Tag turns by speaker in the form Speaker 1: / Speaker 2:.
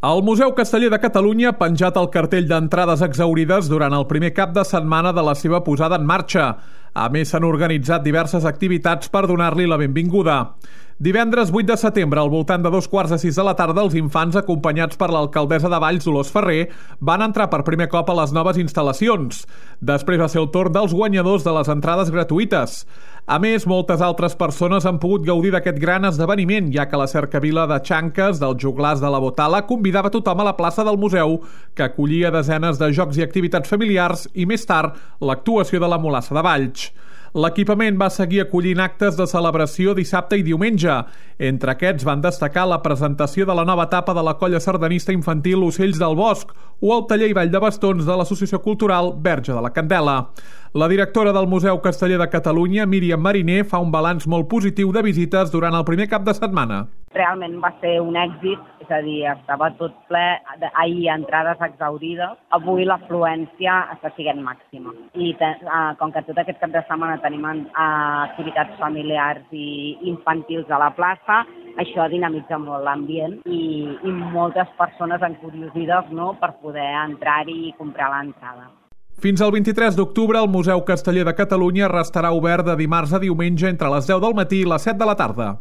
Speaker 1: El Museu Casteller de Catalunya ha penjat el cartell d'entrades exhaurides durant el primer cap de setmana de la seva posada en marxa. A més, s'han organitzat diverses activitats per donar-li la benvinguda. Divendres 8 de setembre, al voltant de 5:45 de la tarda, els infants, acompanyats per l'alcaldessa de Valls, Dolors Ferrer, van entrar per primer cop a les noves instal·lacions. Després va ser el torn dels guanyadors de les entrades gratuïtes. A més, moltes altres persones han pogut gaudir d'aquest gran esdeveniment, ja que la cercavila de xanques dels joglars de la Botala convidava tothom a la plaça del museu, que acollia desenes de jocs i activitats familiars i, més tard, l'actuació de la Mulassa de Valls. L'equipament va seguir acollint actes de celebració dissabte i diumenge. Entre aquests van destacar la presentació de la nova etapa de la colla sardanista infantil Ocells del Bosc o el taller i ball de bastons de l'Associació Cultural Verge de la Candela. La directora del Museu Casteller de Catalunya, Míriam Mariner, fa un balanç molt positiu de visites durant el primer cap de setmana.
Speaker 2: Realment va ser un èxit, és a dir, estava tot ple, ahir entrades exhaurides, avui l'afluència està sent màxima. I com que tot aquest cap de setmana tenim activitats familiars i infantils a la plaça, això dinamitza molt l'ambient i moltes persones encuriosides, no?, per poder entrar-hi i comprar l'entrada.
Speaker 1: Fins al 23 d'octubre, el Museu Casteller de Catalunya restarà obert de dimarts a diumenge entre les 10 del matí i les 7 de la tarda.